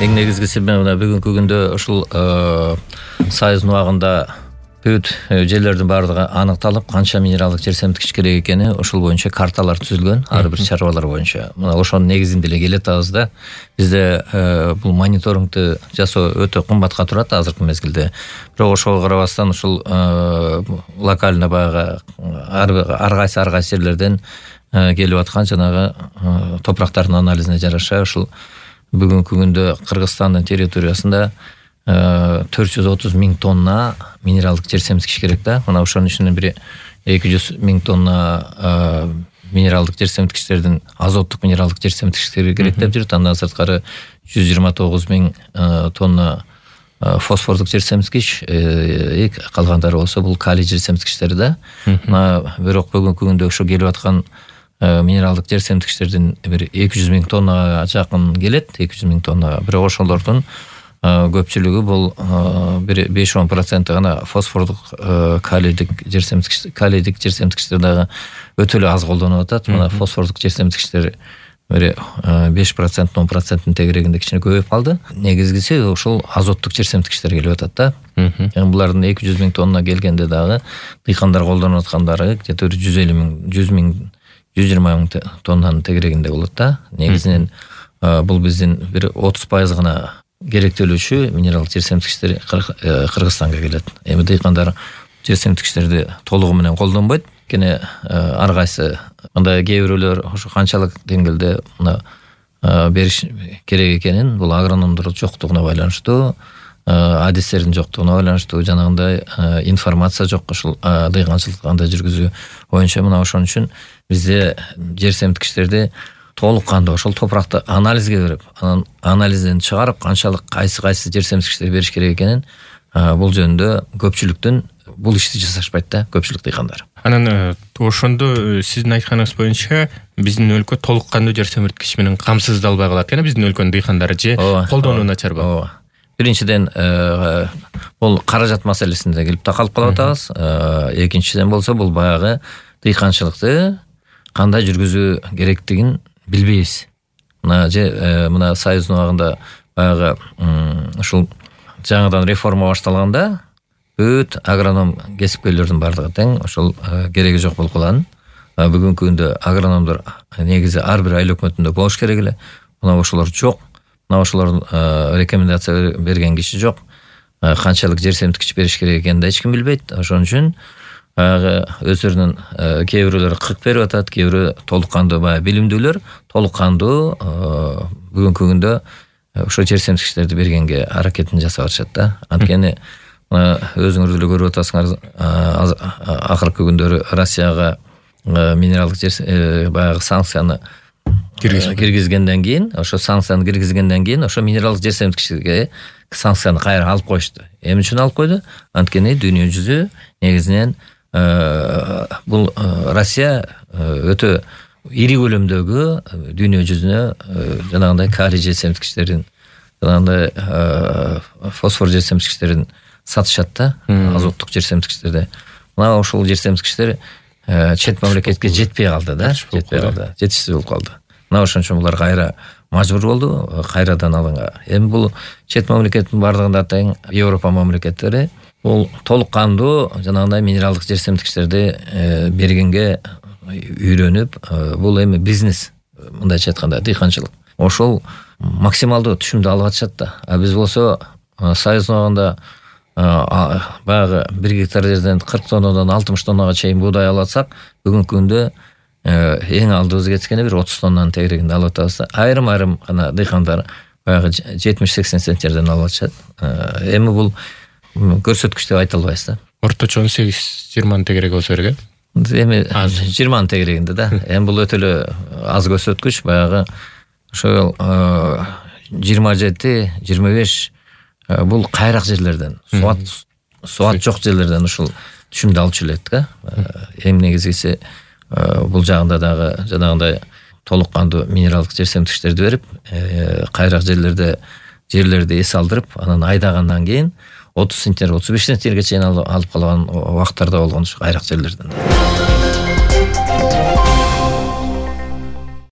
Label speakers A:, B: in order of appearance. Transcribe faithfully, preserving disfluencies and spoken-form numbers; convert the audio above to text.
A: Эң негизгиси мына бүгүнкү күндө ушул Союз убагында бүт жерлердин баардыгы аныкталып, канча минералдык жер семирткич керек экени ошол боюнча карталар түзүлгөн, ар бир чарбалар боюнча. Мына ошонун негизинде эле келатабыз да. Бизде бул мониторингти жасоо өтө кымбатка турат азыркы мезгилде. Бирок ошого карабастан ушул локально баягы ар кайсы ар кайсы жерлерден келип аткан жанагы топурактардын анализине жараша ушул бүгүнкү күндө Кыргызстандын территориясында төрт жүз отуз миң тонна минералдык жер семирткич керек да. Мына ошонун ичинен бир эки жүз миң тонна минералдык жер семирткичтердин азоттук минералдык жер семирткичтери керек деп жүрүт. Андан сырткары жүз жыйырма тогуз миң тонна фосфордук жер семирткич, калгандары болсо бул калий жер семирткичтери да. Мына бирок бүгүнкү күндө ошо келип аткан минералдык жер семирткичтердин бир эки жүз миң тоннага жакын келет, эки жүз миң тоннага. Бирок ошолордун көпчүлүгү бул бир беш он проценти гана фосфордук калийдик жер семирткич, калийдик жер семирткичтер дагы өтө эле аз колдонулуп атат. Мына фосфордук жер семирткичтер бир беш процент он проценттин тегерегинде кичине көбөйүп калды. Негизгиси ушул азоттук жер семирткичтер келип атат да. Эми булардын эки жүз миң тонна келгенде дагы дыйкандар колдонуп аткандары где-то жүз элүү миң, жүз миң, жүз жыйырма миң тоннанын тегерегинде болот да. Негизинен бул биздин бир отуз пайыз гана керектелүүчү минералдык жер семирткичтер Кыргызстанга келет. Эми дыйкандар жер семирткичтерди толугу менен колдонбойт. Кene ар кайсы мындай кээ бирөөлөр ошо канчалык деңгээлде мына бериш керек экенин бул агрономдор жоктугуна байланыштуу, адистердин жоктугуна байланыштуу, жанагындай информация жок ушул дыйканчылыкты кандай жүргүзүү боюнча. Мына ошон үчүн бизде жер семирткичтерди толук кандуу ошол топуракты анализге берип, анан анализден чыгарып канчалык кайсы кайсы жер семирткичтер бериш керек экенин бул жөнүндө көпчүлүктүн бул ишти жасашпайт да, көпчүлүк дыйкандар.
B: Анан ошондо сиздин айтканыңыз боюнча биздин өлкө толук кандуу жер семирткич менен камсыздалбай калат экен, биздин өлкөнүн дыйкандары же колдонуу начарбы?
A: Ооба. Биринчиден бул каражат маселесинде келип такалып калып атабыз. Экинчиден болсо бул баягы дыйканчылыкты кандай жүргүзүү керектигин билбейбиз. Мына же мына Союз убагында баягы ушул жаңыдан реформа башталганда бүт агроном кесипкерлердин бардыгы тең ошол кереги жок болуп калган. Бүгүнкү күндө агрономдор негизи ар бир айыл өкмөтүндө болуш керек эле. Мына ошолор жок. Мына ошолордун рекомендация берген киши жок. Канчалык жер семирткич бериш керек экенин да эч ким билбейт. Ошон үчүн баягы өздөрүнүн кээ бирөөлөр кырк берип атат, кээ бирөө толук кандуу баягы билимдүүлөр толук кандуу бүгүнкү күндө ошо жер семирткичтерди бергенге аракетин жасап атышат да. Анткени өзүңөр деле көрүп атасыңар, акыркы күндөрү Россияга минералдык жер баягы санкцияны киргизгенден кийин, ошо санкцияны киргизгенден кийин ошо минералдык жер семирткичтерге санкцияны кайра алып коюшту. Эмне үчүн алып койду? Анткени дүйнө жүзү негизинен бул Россия өтө ири көлөмдөгү дүйнө жүзүнө жанагындай калий жер семирткичтерин, жанагындай фосфор жер семирткичтерин сатышат да, азоттук жер семирткичтерди. Мына ошол жер семирткичтер чет мамлекетке жетпей калды да, жетпей калды, жетишсиз болуп калды. Мына ошон үчүн булар кайра мажбур болду кайрадан алганга. Эми бул чет мамлекеттин бардыгында тең Европа мамлекеттери бул толук кандуу жанагындай минералдык жер семирткичтерди бергенге үйрөнүп, бул эми бизнес, мындайча айтканда дыйканчылык. Ошол максималдуу түшүмдү алып атышат да. А биз болсо Союз убагында баягы бир гектар жерден кырк тоннадан алтымыш тоннага чейин буудай алып атсак, бүгүнкү күндө эң алдыбыз кеткени бир отуз тоннанын тегерегинде алып атабыз. Айрым-айрым гана дыйкандар баягы жетимиш сексен центнерден алып атышат. Эми бул көрсөткүч деп айта албайбыз да.
B: Орточо он сегиз жыйырманын тегереги болсо керек э?
A: Эми жыйырманын тегерегинде да. Эми бул өтө эле аз көрсөткүч, баягы ошол жыйырма жети жыйырма беш бул кайрак жерлерден, суат суат жок жерлерден ушул түшүмдү алчу элек да. Эң негизгиси бул жагында дагы жанагындай толук кандуу минералдык жер семирткичтерди берип, кайрак жерлерде жерлерди эс алдырып, анан айдагандан кийин отуз центнер, отуз беш центнерге чейин алып калган убактарда болгон ушу кайрак жерлерден.